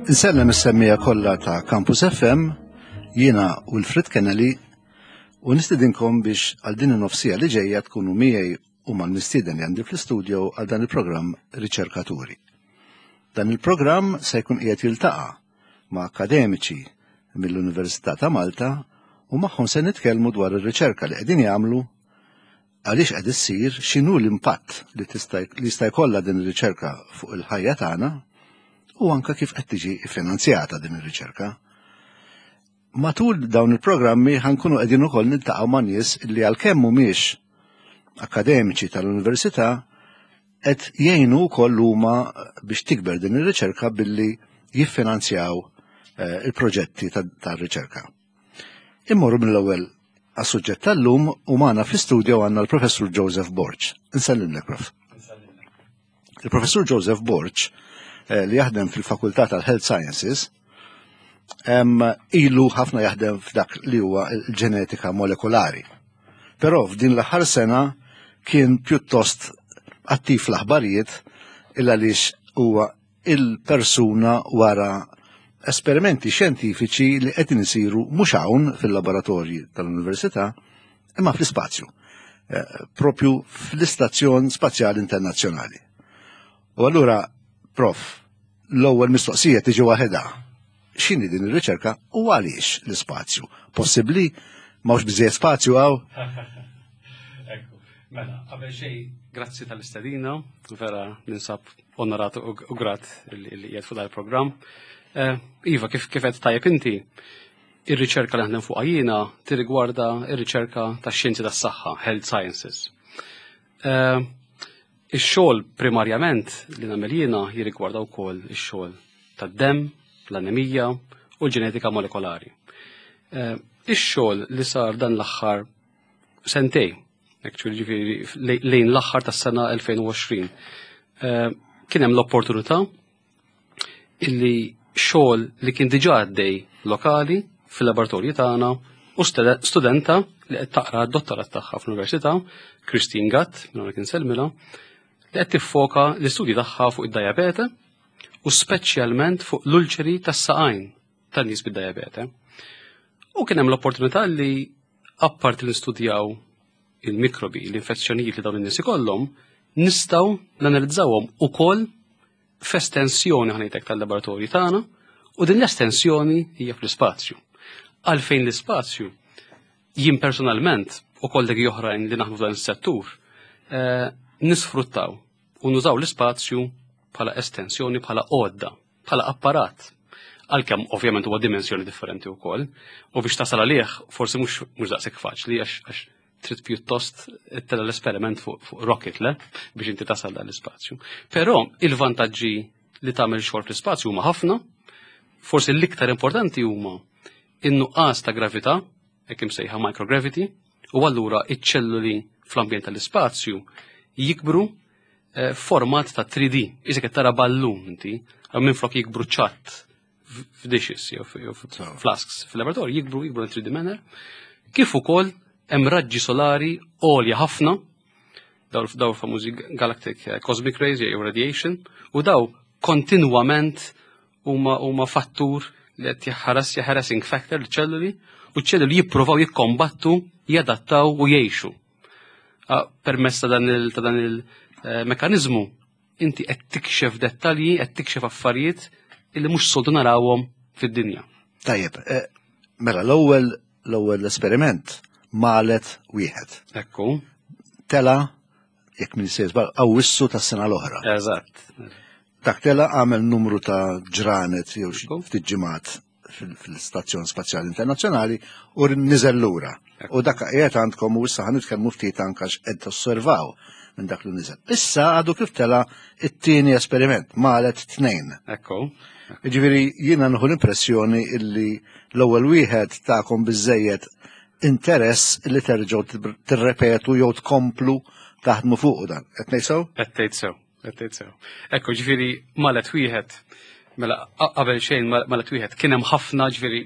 Insellem is-semmija kollha ta' Campus FM, jiena Wilfred Kennedy u nistidinkom biex għal din in-nofsija li ġejja tkunu miegħi u mal-mistieden li għandi fl-istudio għal dan il-programm Riċerkaturi. Dan il-programm se jkun qiegħed jiltaqa' ma' akademiċi mill-Università ta' Malta u magħhom se nitkellmu dwar ir-riċerka li qegħdin jagħmlu għaliex qed issir, x'inhu l-impatt li tista' li jista' jkollha din ir-riċerka fuq il-ħajja tagħna u anke kif qed tiġi ffinanzjata din ir-riċerka. Matul dawn il-programmi ħankunu qegħdin ukoll niltaqgħu ma' nies li għalkemm mhumiex akademiċi tal-università qed jgħinu wkoll huma biex tikber din ir-riċerka billi jiffinanzjaw eh, il-proġetti tar-riċerka. Immorru mill-ewwel għas-suġġett tal-lum u magħna fl-istudio għandna l-Professur Joseph Borg. Insellimlek, Prof. Il-Professur Joseph Borg eh, li jaħdem fil-Fakultà tal-Health Sciences ilu ħafna jaħdem f'dak li huwa l-ġenetika molekulari. Però f'din l-aħħar sena kien pjuttost attiv l-aħbarijiet il għaliex huwa il-persuna wara esperimenti xjentifiċi li qed isiru mhux hawn fil-laboratorji tal-università imma fl-ispazju, eh, propju fl-Istazzjon Spazjali Internazzjonali. U allura, prof, l-ewwel mistoqsija tiġi waħedha. X'inhi din ir-riċerka u għaliex l-ispazju? Possibbli m'hawnx biżejjed spazju hawn? Ekku, mela, qabel xejn, grazzi tal-istedina, vera ninsab onorat u grat li qiegħed fuq dal-programm. Eh, iva, kif kif qed tajjeb inti, ir-riċerka li naħdem fuqha jiena tirrigwarda ir-riċerka tax-xjenzi tas-saħħa, health sciences. Eh, ix-xogħol primarjament li nagħmel jiena jirrigwarda wkoll ix-xogħol tad-demm, l-anemija u l-ġenetika molekolari. Eh, ix-xogħol li sar dan l-aħħar sentej, actually ġifieri lejn l-aħħar tas-sena 2020, eh, kien hemm l-opportunità illi xogħol li kien diġà għaddej lokali fil-laboratorji tagħna u studenta li qed taqra d-dottorat tagħha fl-Università, Christine Gatt, minn hawnhekk insellmilha, li qed tiffoka l-istudji tagħha fuq id-diabete u speċjalment fuq l-ulċeri tas-saqajn tan-nies bid-diabete. U kien hemm l-opportunità li apparti li nistudjaw il-mikrobi, l-infezzjonijiet li dawn in-nies ikollhom, nistgħu nanalizzawhom ukoll f'estensjoni ħanejtek tal-laboratorju tagħna u din l-estensjoni hija fl-ispazju. Għalfejn l-ispazju jien personalment u kollegi oħrajn li naħdmu f'dan is-settur eh, nisfruttaw u nużaw l-ispazju bħala estensjoni, bħala għodda, bħala apparat. Għalkemm ovvjament huwa dimensjoni differenti wkoll, u biex tasal għalih forsi mhux mhux daqshekk faċli għax trid pjuttost tella l-esperiment fuq fu rocket le biex inti tasal dan l-ispazju. Però il-vantaġġi li tagħmel xogħol fl-ispazju huma ħafna, forsi l-iktar importanti huma in-nuqqas ta' gravità, hekk imsejħa microgravity, u allura iċ-ċelluli fl-ambjent tal-ispazju jikbru eh, format ta' 3D, isek qed tara ballun inti, minflok jikbru ċatt f'dishes jew flasks fil-laboratorju jikbru jikbru in 3D manner. Kif ukoll hemm raġġi solari għolja ħafna daw daw famużi galactic eh, cosmic rays jew radiation u daw kontinwament huma huma fattur li qed jaħaras harassing factor l-ċelluli u ċ-ċelluli jippruvaw jikkombattu, jadattaw u jgħixu. Ah, permezz ta' dan il-mekanizmu eh, inti qed tikxef dettalji, qed tikxef affarijiet illi mhux soltu narawhom fid-dinja. Tajjeb, eh, mela l-ewwel l-ewwel esperiment malet wieħed. Ekku. Tela, jekk min se żball, Awwissu tas-sena l-oħra. Eżatt. Dak tela għamel numru ta' ġranet jew ftit ġimgħat fil-Stazzjon Spazjali Internazzjonali u niżel lura. U dak qiegħed għandkom u issa ħanitkellmu ftit anke x'qed tosservaw minn dak li niżel. Issa għadu kif tela it-tieni esperiment, malet tnejn. Ekku. Ġifieri jiena nħu l-impressjoni illi l-ewwel wieħed tagħkom biżejjed interess li terġgħu tirrepetu jew tkomplu taħdmu fuq dan. Qed ngħid sew? Qed tgħid sew. Qed sew. Ekku, ġifieri malet wieħed, mela qabel xejn malet wieħed kien hemm ħafna ġifieri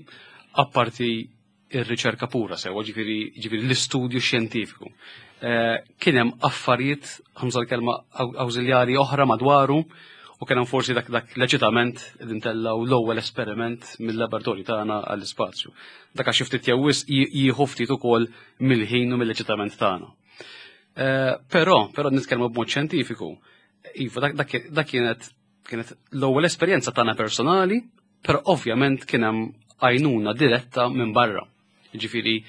apparti ir-riċerka pura sewa, ġifieri ġifieri l-istudju xjentifiku. Eh, kien hemm affarijiet, ħamsa l-kelma awżiljari oħra madwaru, U kien hemm forsi dak dak l-eċitament li ntellgħu l-ewwel esperiment mill-laboratorju tagħna għall-ispazju. Dak għax ftit jew wisq jieħu ftit ukoll mill-ħin u mill-eċitament tagħna. Eh, però, però nitkellmu b'mod xjentifiku, iva, dak kienet kienet l-ewwel esperjenza tagħna personali, però ovvjament kien hemm għajnuna diretta minn barra. Ġifieri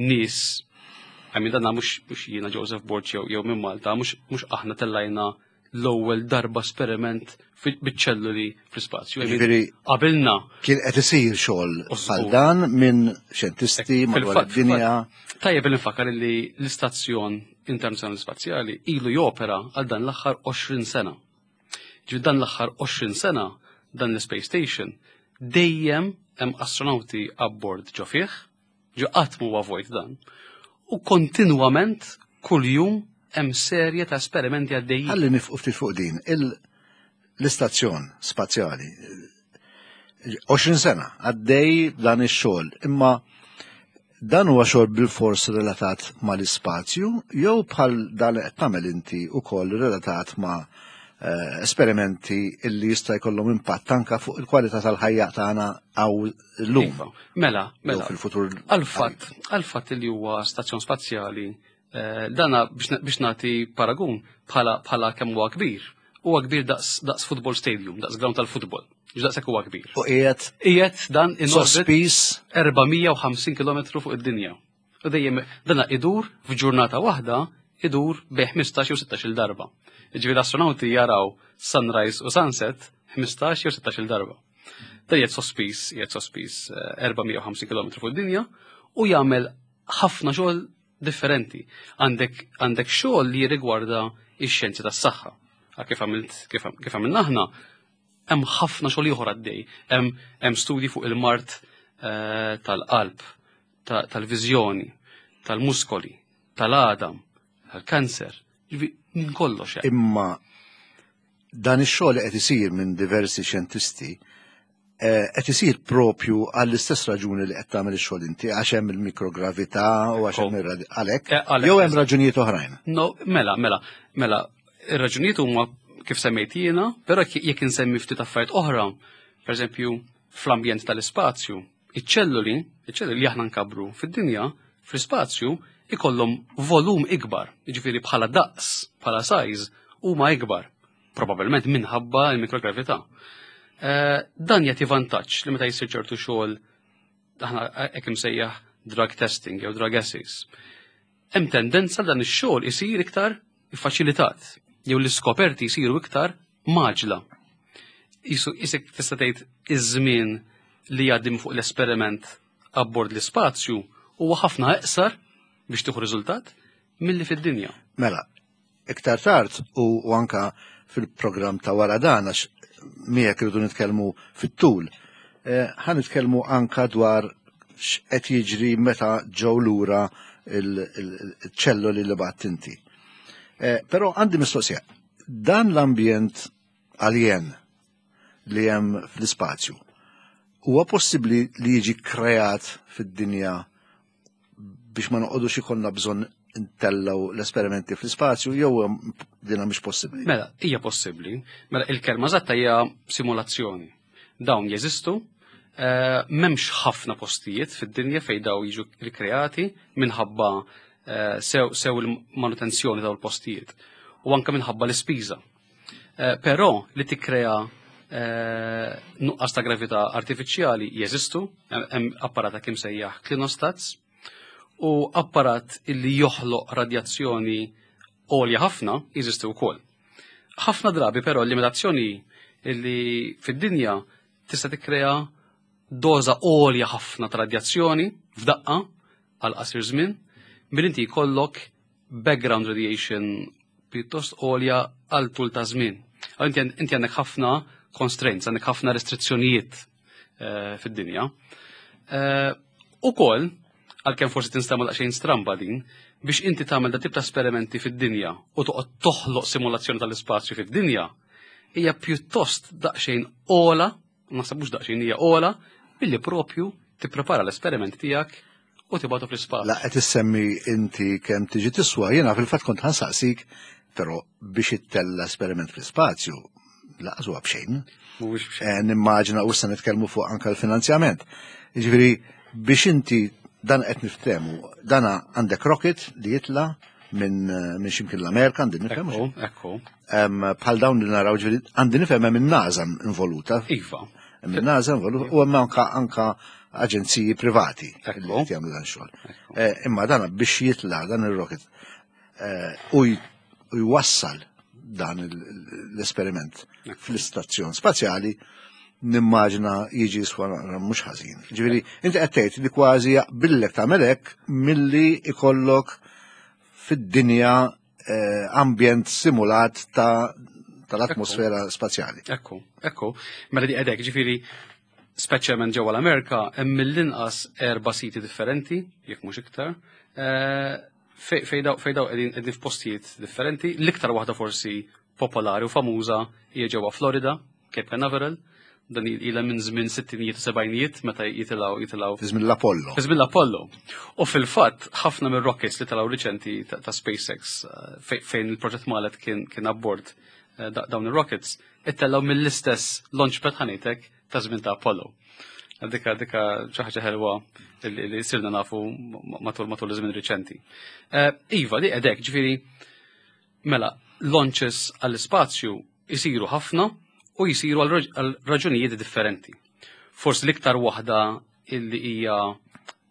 nies għamil danna mhux jiena Joseph Borg jew minn Malta, mhux aħna tellajna l-ewwel darba esperiment biċ-ċelluli fl-ispazju. Ġifieri qabilna kien qed isir xogħol bħal dan minn xjentisti madwar id-dinja. Tajjeb li nfakkar li l-istazzjon internazzjonali spazjali ilu jopera għal dan l-aħħar 20 sena. Ġifieri dan l-aħħar 20 sena dan l-Space Station dejjem hemm astronauti abbord ġo fih, Ġo qatt m'huwa vojt dan. U kontinwament kuljum hemm serje ta' esperimenti għaddejjin. Ħalli nifqu ftit fuq din. L-istazzjon spazjali 20 sena għaddej dan ix-xogħol, imma dan huwa xogħol bil-fors relatat mal-ispazju jew bħal dan li qed tagħmel inti wkoll relatat ma' eh, esperimenti illi jista' jkollhom impatt anka fuq il-kwalità tal-ħajja tagħna għaw llum. Iva, mela, mela. Fil-futur. Għal-fatt, għal-fatt li huwa stazzjon spazjali, eh, dana biex nagħti paragun bħala bħala kemm huwa kbir, huwa kbir daqs daqs football stadium, daqs ground tal-futbol. Daqshekk huwa kbir. U qiegħed qiegħed dan in sospiż 450 km fuq id-dinja. U dejjem dana idur f'ġurnata waħda idur bej 15 u 16 darba. Ġifieri l-astronauti jaraw sunrise u sunset 15 jew 16 darba. Da jgħid sospiż, jgħid sospiż 450 eh, km fuq id-dinja u jagħmel ħafna xogħol differenti. Għandek għandek xogħol li jirrigwarda ix-xjenzi tas-saħħa. Kif għamilt kif għamilna aħna, hemm ħafna xogħol ieħor għaddej. Hemm studji fuq il-mart eh, tal-qalb, tal-viżjoni, tal-muskoli, tal-għadam, tal-kanser, minn kollox. Imma dan ix-xogħol qed isir minn diversi xjentisti eh, qed isir propju għall-istess raġuni li qed tagħmel ix-xogħol inti għax hemm il-mikrogravità u għax hemm għalhekk eh, jew hemm raġunijiet oħrajn. No, mela, mela, mela, ir-raġunijiet huma kif semmejt jiena, però jekk insemmi ftit affarijiet oħra, pereżempju fl-ambjent tal-ispazju, Iċ-ċelluli, iċ-ċelluli li aħna nkabbru fid-dinja, fl-ispazju, ikollhom volum ikbar, jiġifieri bħala daqs, bħala size, huma ikbar, probabbilment minħabba l-mikrogravità. Eh, dan jagħti vantaġġ li meta jsir ċertu xogħol aħna hekk imsejjaħ drug testing jew drug assays. Hemm tendenza dan ix-xogħol isir iktar iffaċilitat jew l-iskoperti jsiru iktar maġla. Isu isek tista' tgħid iż-żmien li jgħaddi fuq l-esperiment abbord l-ispazju huwa ħafna eqsar biex tieħu riżultat milli fid-dinja. Mela, iktar tard u anka fil-programm ta' wara dan għax miegħek irridu nitkellmu fit-tul. Eh, ħa nitkellmu anka dwar x'qed jiġri meta ġew lura il-ċelloli li bat inti. Eh, però għandi mistoqsija, dan l-ambjent alien li hemm fl-ispazju, huwa possibbli li jiġi kreat fid-dinja biex ma noqogħdux ikollna bżonn ntellgħu l-esperimenti fl-ispazju jew dina mhix possibbli? Mela, hija possibbli. Mela il-kelma eżatta hija simulazzjoni. Dawn jeżistu, eh, m'hemmx ħafna postijiet fid-dinja fejn daw jiġu rikreati minħabba eh, sew, sew il-manutenzjoni daw il-postijiet u anke minħabba l-ispiża. Eh, però li tikkrea nuqqas ta' gravità artifiċjali jeżistu, hemm apparat kim sejjaħ klinostats u apparat illi joħloq radjazzjoni għolja ħafna jeżistu wkoll. Ħafna drabi però l-limitazzjoni illi fid-dinja tista' tikkrea doża għolja ħafna ta' radjazzjoni f'daqqa għal qasir żmien, billi inti jkollok background radiation pjuttost għolja għal tul ta' żmien. Inti għandek ħafna constraints, għandek ħafna restrizzjonijiet eh, fid-dinja. Eh, ukoll, għalkemm forsi tinstama daqsxejn stramba din, biex inti tagħmel da tip ta' esperimenti fid-dinja u toqgħod toħloq simulazzjoni tal-ispazju fid-dinja, hija pjuttost daqsxejn ola, naħseb mhux daqsxejn hija ola, billi propju tipprepara l-esperiment tiegħek u tibgħatu fl-ispazju. La qed issemmi inti kemm tiġi tiswa, jiena fil-fatt kont ħansaqsik, però biex ittella esperiment fl-ispazju, laqas huwa b'xejn. Mhuwiex b'xejn. Eh, nimmaġina u issa nitkellmu fuq anke l-finanzjament. Jiġifieri biex inti dan qed niftehmu, dana għandek rocket li jitla' minn min ximkien l-Amerika għandi nifhem. Ekku, ekku. Bħal dawn li naraw ġifieri għandi nifhem hemm in-NASA involuta. Iva. Hemm in-NASA involuta u hemm anka anka aġenziji privati li qed jagħmlu dan xogħol. Eh, imma dan biex jitla' dan ir-rocket eh, u jwassal dan l-esperiment fl-istazzjon spazjali nimmaġina jiġi jiswa mhux ħażin. Ġifieri, inti qed tgħid li kważi jaqbillek tagħmel hekk milli ikollok fid-dinja eh, ambjent simulat ta' tal-atmosfera spazjali. Ekku, ekku. Mela di qedek, ġifieri speċjalment ġewwa l-Amerika hemm mill-inqas erba' siti differenti, jekk mhux iktar, eh, fej daw qegħdin qegħdin f'postijiet differenti. L-iktar waħda forsi popolari u famuża hija ġewwa Florida, Cape Canaveral, dan ilha minn żmien sittinijiet u sebgħinijiet meta jitilgħu jitilgħu. Fi żmien l-Apollo. Fi żmien l-Apollo. U fil-fatt ħafna mir-rockets li telgħu riċenti ta' SpaceX eh, fejn il-proġett Malet kien kien abbord eh, dawn ir-rockets, ittellgħu mill-istess launchpad ħanitek ta' żmien ta' Apollo. Dika dika xi ħaġa ħelwa li sirna nafu matul matul iż-żmien riċenti. Eh, iva, li qedek, ġifieri mela launches għall-ispazju jisiru ħafna u jisiru għal raġunijiet differenti. Forsi l-iktar waħda illi hija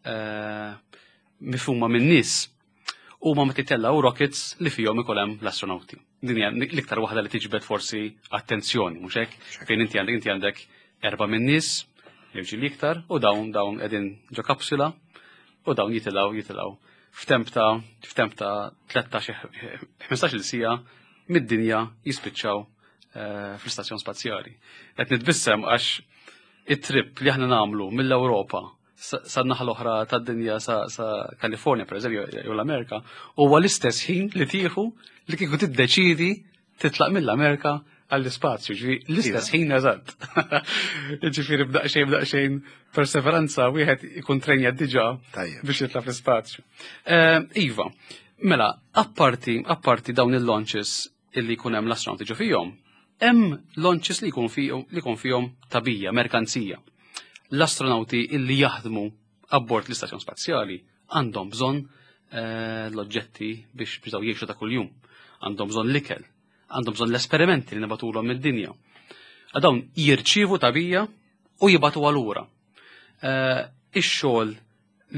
eh, mifhuma min-nies huma meta jtellgħu rockets li fihom ikun hemm l-astronauti. Din hija l-iktar waħda li tiġbed forsi attenzjoni, mhux hekk? Fejn inti għandek inti għandek erba' min-nies, jew ġieli iktar, u dawn dawn qegħdin ġo kapsula u dawn jitilgħu jitilgħu f'temp ta' f'temp ta' 13 15-il siegħa mid-dinja jispiċċaw eh, fl-istazzjon spazjali. Qed nitbissem għax it-trip li aħna nagħmlu mill-Ewropa sa naħa l-oħra tad-dinja sa Kalifornja pereżempju jew l-Amerika, huwa l-istess ħin li tieħu li kieku tiddeċidi titlaq mill-Amerika għall-ispazju, ġifieri l-istess ħin eżatt. Ġifieri b'daqsxejn b'daqsxejn perseveranza wieħed ikun trenja diġà biex jitla' fl-ispazju. Eh, iva, mela, apparti apparti dawn il-launches illi jkun hemm l-astronauti ġo fihom, hemm launches li jkun fihom li jkun fihom tabija, merkanzija. L-astronauti illi jaħdmu abbord l-istazzjon spazjali għandhom bżonn eh, l-oġġetti biex biex daw jgħixu ta' kuljum. Għandhom bżonn l-ikel, għandhom bżonn l-esperimenti li nibatulhom mid-dinja. Dawn jirċievu tabija u jibatu għalura. Eh, ix-xogħol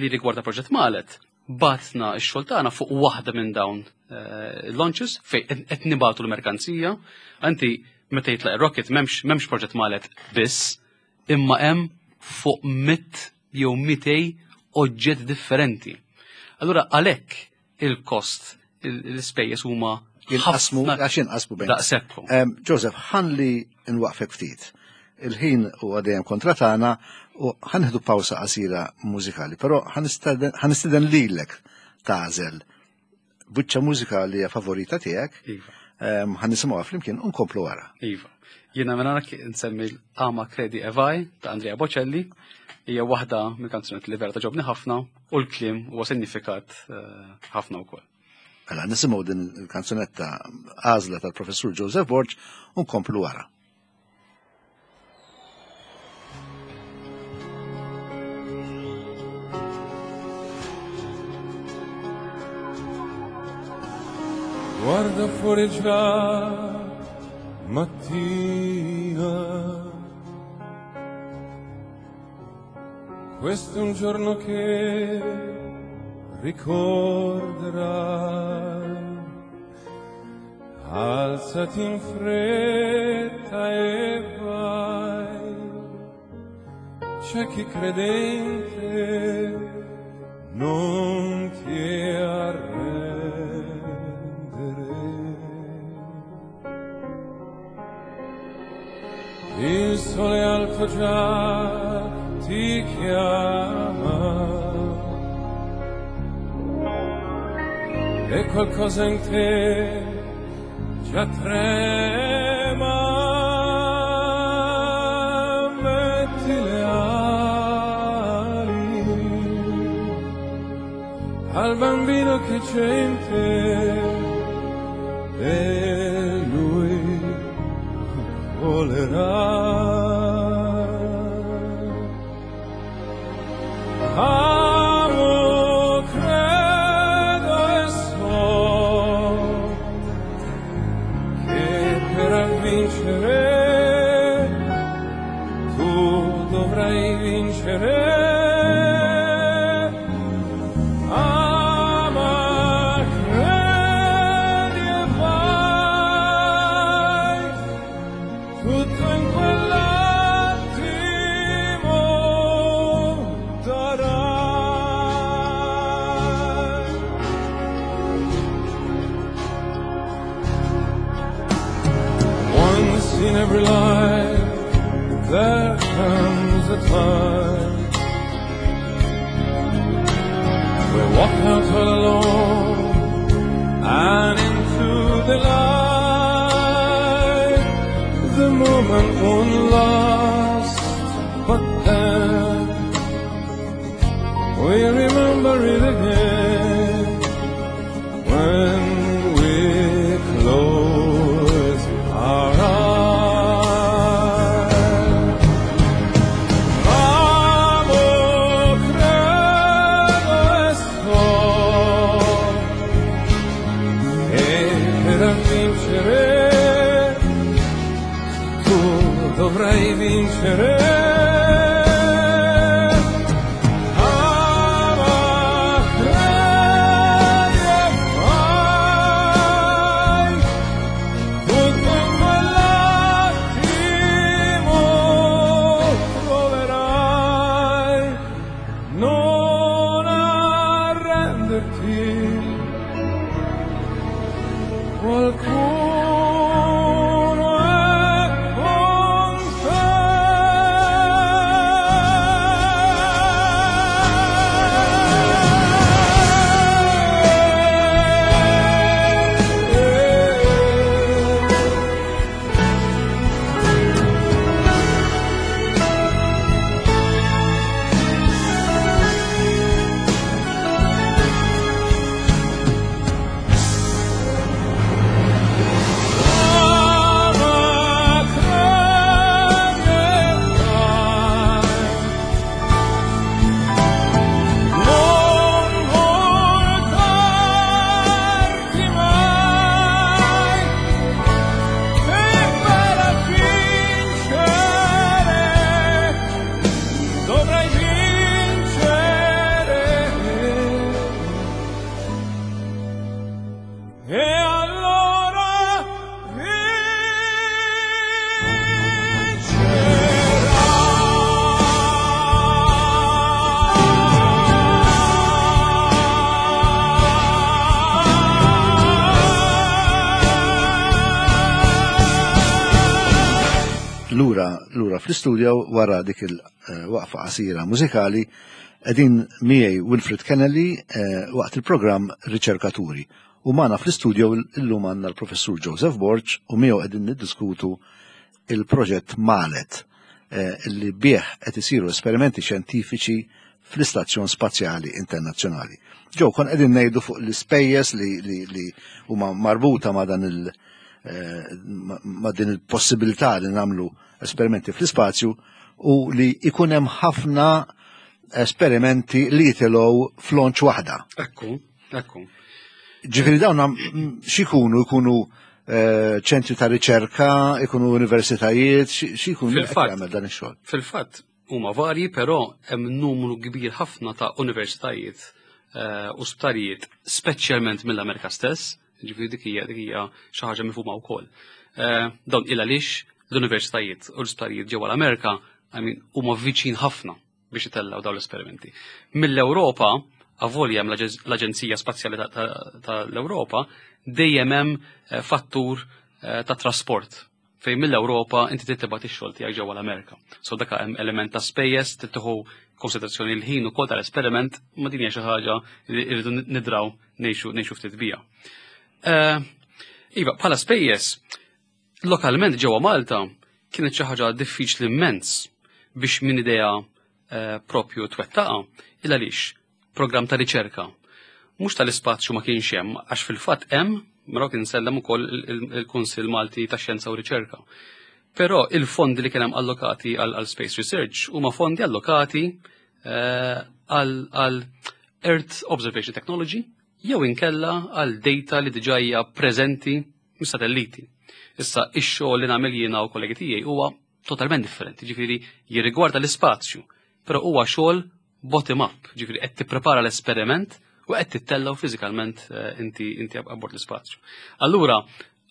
li rigwarda proġett Malet, batna x-xogħol tagħna fuq waħda minn dawn eh, launches fejn qed nibatu l-merkanzija. Anti meta jitlaq ir-rocket m'hemmx m'hemmx proġett Malet biss, imma hemm fuq mit jew mitej oġġett differenti. Allura għalhekk il-kost, l-ispejjeż huma jinqasmu għax jinqasmu bejn. Daqshekk. Joseph, ħalli nwaqfek ftit. Il-ħin huwa dejjem kontra tagħna u ħanħdu pawsa qasira mużikali, però ħanistiden lilek tagħżel buċċa mużika li hija favorita tiegħek. Iva. Ħanisimgħuha flimkien u nkomplu wara. Iva. Jiena minn għanak nsemmi l-Ama Credi e Vai ta' Andrea Bocelli, hija waħda mill-kanzunetti li vera togħġobni ħafna u l-kliem huwa sinifikat eh, ħafna wkoll. Mela nisimgħu din il-kanzunetta għażla tal-Professur Joseph Borg u nkomplu wara. Guarda fuori già mattina. Questo è un giorno che ricorderai. Alzati in fretta e vai. C'è chi credente non ti arrendere. Il sole alto già ti chiama e qualcosa in te già trema. Metti le ali al bambino che c'è in te e lui Volerà. Amo, credo e so che per vincere tu dovrai vincere. Ama, credi e vai, tutto in quell'attimo darai. Once in every life there comes a time we walk out all alone and into the light. The moment won't last, but then we remember it again when we close our eyes. Amo, credo e so che per vincere tu dovrai vincere. Ama, credi e fai, tutto in quell'attimo troverai. Non arrenderti, qualcuno è con te. Ama, credi e fai, non voltarti mai, e per vincere dovrai vincere. E allora vincerà. Lura, lura fl-istudio wara dik il-waqfa qasira mużikali qegħdin miegħi Wilfred Kennelly waqt il-programm Riċerkaturi. U magħna fl-istudio illum għandna l-Professur Joseph Borg u miegħu qegħdin niddiskutu il-proġett Malet li bih qed isiru esperimenti xjentifiċi fl-Istazzjon Spazjali Internazzjonali. Ġew kon qegħdin ngħidu fuq l-ispejjeż li huma marbuta ma' dan il- ma' din il-possibilità li nagħmlu esperimenti fl-ispazju u li ikun hemm ħafna esperimenti li jitilgħu f'launch waħda. Ekku, ekku. Ġifieri dawn x'ikunu jkunu ċentri ta' riċerka, ikunu universitajiet, x'ikunu qed jagħmel dan ix-xogħol? Fil-fatt huma varji, però hemm numru kbir ħafna ta' universitajiet u sptarijiet, speċjalment mill-Amerika stess, ġifieri dik hija xi ħaġa mifhuma wkoll. Dawn il għaliex l-universitajiet u l-isptarijiet ġewwa l-Amerika, huma viċin ħafna biex itellgħu dawn l-esperimenti. Mill-Ewropa, avolja hemm l-Aġenzija Spazjali tal-Ewropa, dejjem hemm fattur ta' trasport fejn mill-Ewropa inti trid tibgħat ix-xogħol tiegħek ġewwa l-Amerika. So dak hemm element ta' spejjeż, trid tieħu konsiderazzjoni l-ħin ukoll tal-esperiment, ma din hija xi ħaġa li rridu nidraw ngħixu ftit bija. Iva, bħala spejjeż, lokalment ġewwa Malta kienet xi ħaġa diffiċli immens biex min idea propju twettaqa, il għaliex programm ta' riċerka. Mhux tal-ispazju ma kienx hemm, għax fil-fatt hemm, mela kien insellem ukoll il-Kunsill Malti ta' Xjenza u Riċerka. Però il-fondi li kien hemm allokati għal Space Research huma fondi allokati eh, għal Earth Observation Technology jew inkella għal data li diġà hija preżenti mis-satelliti. Issa ix-xogħol li nagħmel jiena u kollegi tiegħi huwa totalment differenti, ġifieri jirrigwarda l-ispazju, però huwa xogħol bottom up, ġifieri qed tipprepara l-esperiment u qed tittellgħu fiżikalment eh, inti inti abbord l-ispazju. Allura,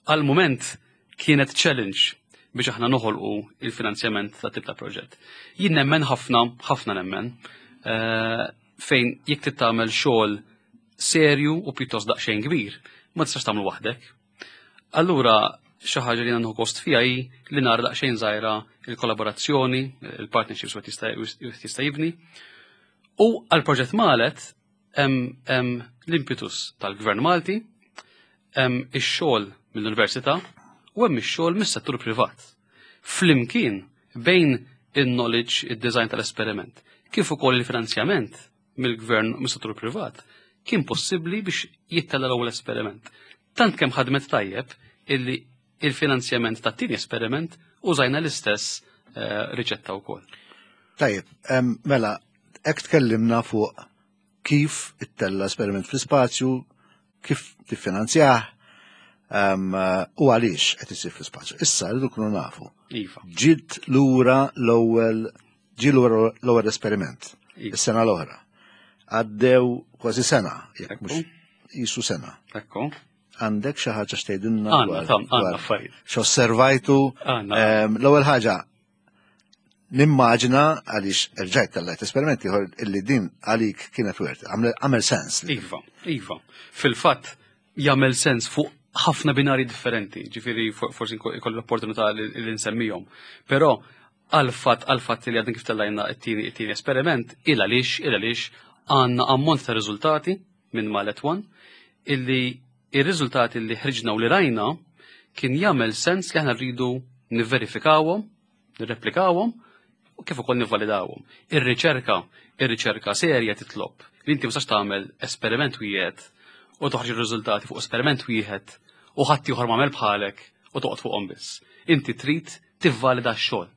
għal mument kienet challenge biex aħna noħolqu il-finanzjament ta' tip ta' proġett. Jien nemmen ħafna, ħafna nemmen, eh, fejn jekk tittamel xogħol serju u pjuttost daqsxejn kbir, ma tistax tagħmlu waħdek. Allura xi ħaġa li nagħmlu kost fiha hi li nara daqsxejn żgħira il-kollaborazzjoni, il-partnerships wieħed jista' jibni. U għall-proġett Malet hemm l-impetus tal-Gvern Malti, hemm ix-xogħol mill-università u hemm ix-xogħol mis-settur privat. Flimkien bejn il-knowledge, id-design tal-esperiment, kif ukoll il-finanzjament mill-gvern u mis-settur privat, kien possibbli biex jittella l-ewwel esperiment. Tant kemm ħadmet tajjeb illi il-finanzjament tat-tieni esperiment użajna l-istess eh, riċetta wkoll. Tajjeb, mela, hekk tkellimna fuq kif ittella esperiment fl-ispazju, kif tiffinanzjah, u għaliex qed isir fl-ispazju. Issa rridu nkunu nafu. Iva. Ġiet lura l-ewwel ġie lura l-ewwel esperiment Iva. is-sena l-oħra. Għaddew kważi sena, jekk mhux jisu sena. Ekku. Għandek xi ħaġa x'tgħidilna Għandna, tam, għandna affarijiet. X'osservajtu? Għandna. L-ewwel ħaġa nimmaġina għaliex erġajt tellajt esperimenti ieħor illi din għalik kienet wert, għamel sens. Iva, iva. Fil-fatt jagħmel sens fuq ħafna binari differenti, ġifieri forsi jkollu l-opportunità li nsemmihom. Però għal-fatt għal-fatt li għadin kif tellajna it-tieni esperiment, il għaliex, il għaliex għandna ammont ta' riżultati minn Malet One illi ir-riżultati li ħriġna u li rajna kien jagħmel sens li aħna rridu nivverifikawhom, nirreplikawhom u kif ukoll nivvalidawhom. Ir-riċerka, ir-riċerka serja titlob li inti ma tistax tagħmel esperiment wieħed u toħroġ ir-riżultati fuq esperiment wieħed u ħadd ieħor m'għamel bħalek u toqgħod fuqhom biss. Inti trid tivvalida x-xogħol.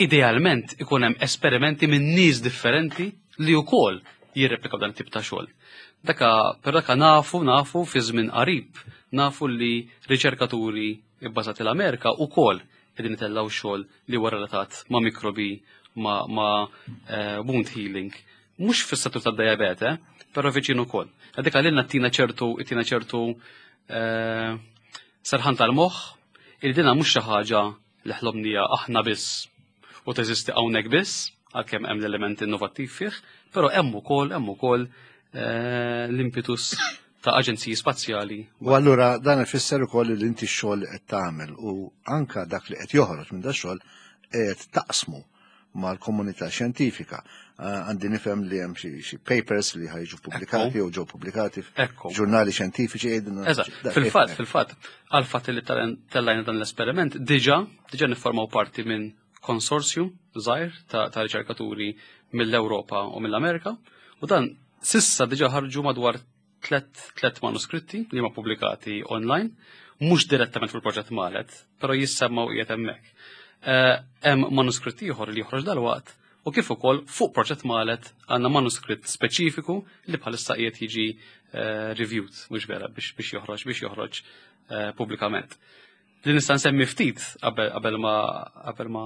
Idealment ikun hemm esperimenti minn nies differenti li wkoll jirreplikaw dan it-tip ta' xogħol. Daka, però daka nafu, nafu fi żmien qarib, nafu li riċerkaturi bbażati l-Amerika wkoll qegħdin itellgħu xogħol li huwa relatat ma' mikrobi, ma', ma eh, wound healing. Mhux fis-settur tad-diabete, però viċin ukoll. Dik għalilna tina ċertu tina ċertu eh, serħan tal-moħħ il dina mhux xi ħaġa li ħlomnija aħna biss u teżisti hawnhekk biss, għalkemm hemm l-element innovattiv fih, però hemm ukoll hemm ukoll eh, l-impetus ta' aġenziji spazjali. U allura dan ifisser ukoll li inti x-xogħol li qed tagħmel u anka dak li qed joħroġ minn da xogħol qed taqsmu mal-komunità xjentifika. Eh, għandi nifhem li hemm xi papers li ħajġu pubblikati jew ġew pubblikati f'ġurnali xjentifiċi qegħdin. Eżatt, fil-fatt, fil-fatt, għal fatt li tellajna dan l-esperiment, diġà diġà niffurmaw parti minn konsorzju żgħir ta' riċerkaturi mill-Ewropa u mill-Amerika u dan sissa diġà ħarġu madwar tlet manuskritti li ma pubblikati online, mhux direttament fil-proġett Malet, però jissemmaw qiegħed hemmhekk. Eh, hemm manuskritt ieħor li joħroġ dalwaqt u kif ukoll fuq proġett Malet għandna manuskritt speċifiku li bħalissa qiegħed jiġi eh, reviewed, mhux vera biex biex joħroġ biex joħroġ eh, pubblikament. Li nista' nsemmi ftit qabel ma qabel ma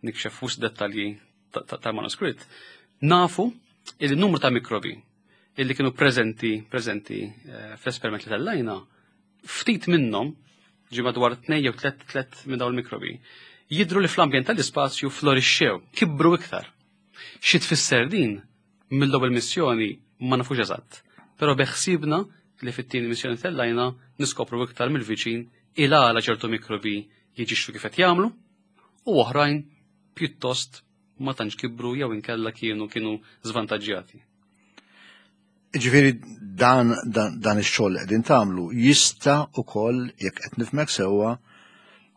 nikxef fus dettalji tal-manuskritt, nafu il-numru ta' mikrobi illi kienu preżenti preżenti eh, fl-esperiment li tellajna, ftit minnhom ġi madwar tnej jew tlet tlet minn dawn il-mikrobi, jidru li fl-ambjent tal-ispazju florixxew, kibru iktar. Xi tfisser din mill-ewwel missjoni ma nafux eżatt, però beħsibna li fit-tieni missjoni tellajna niskopru iktar mill-viċin il għala ċertu mikrobi jiġixxu kif qed jagħmlu u oħrajn pjuttost ma tantx kibru jew inkella kienu kienu żvantaġġjati. Ġifieri dan, dan, dan ix-xogħol li qegħdin tagħmlu jista' ukoll jekk qed nifhmek sewwa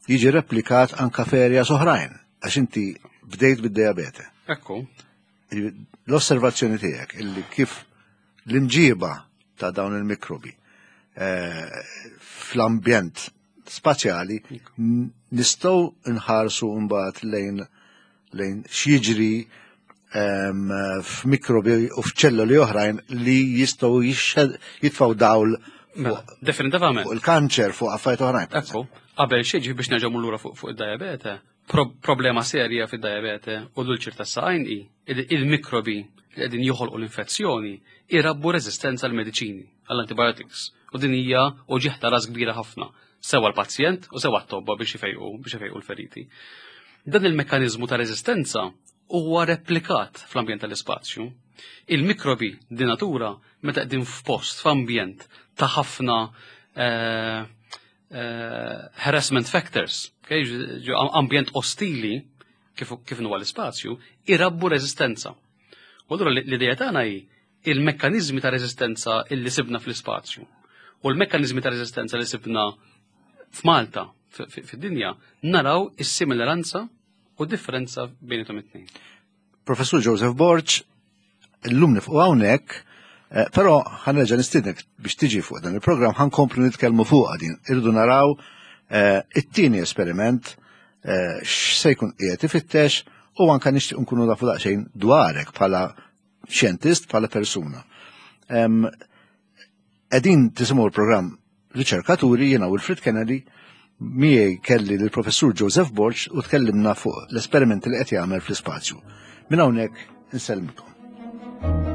jiġi replikat anka f'areas oħrajn għax inti bdejt bid-diabete. Ekku. L-osservazzjoni tiegħek illi kif l-imġiba ta' dawn il-mikrobi eh, fl-ambjent spazjali nistgħu nħarsu mbagħad lejn lejn x'jiġri f'mikrobi u f'ċelloli oħrajn li jistgħu jitfgħu dawl mela, Definitivament. Fuq il-kanċer, fuq affarijiet oħrajn. Ekku, qabel xi biex nerġgħu lura fuq id-diabete, problema serja fid-diabete u l-ulċir tas-saqajn hi il-mikrobi li qegħdin joħolqu l-infezzjoni irabbu reżistenza għal mediċini għall-antibiotics. U din hija uġigħ ta' ras kbira ħafna, sewa l-pazjent u sewa t-tobba biex ifejqu biex ifejqu l-feriti. Dan il-mekkaniżmu ta' reżistenza huwa replikat fl-ambjent tal-ispazju. Il-mikrobi di natura meta qegħdin f'post, f'ambjent ta' ħafna eh, eh, harassment factors, okay? ambjent ostili kif, kif huwa l-ispazju, irabbu reżistenza. U allura l-idea tagħna hi il-mekkaniżmi ta' reżistenza illi sibna fl-ispazju u l-mekkaniżmi ta' reżistenza li sibna f'Malta fid-dinja naraw is-similaranza u differenza bejnietom it-tnejn. Professur Joseph Borg, illum nifqu hawnhekk, eh, però ħanerġa' nistiednek biex tiġi fuq dan il-programm ħankomplu nitkellmu fuq din. Irridu naraw eh, it-tieni esperiment eh, x'se jkun qiegħed ifittex u anke nixtieq nkunu nafu daqsxejn dwarek bħala xjentist bħala persuna. Qegħdin tisimgħu l-programm Riċerkaturi jiena Wilfred Kennedy miegħi kelli lill-Professur Joseph Borg u tkellimna fuq l-esperimenti li qed jagħmel fl-ispazju. Minn hawnhekk insellmilkom.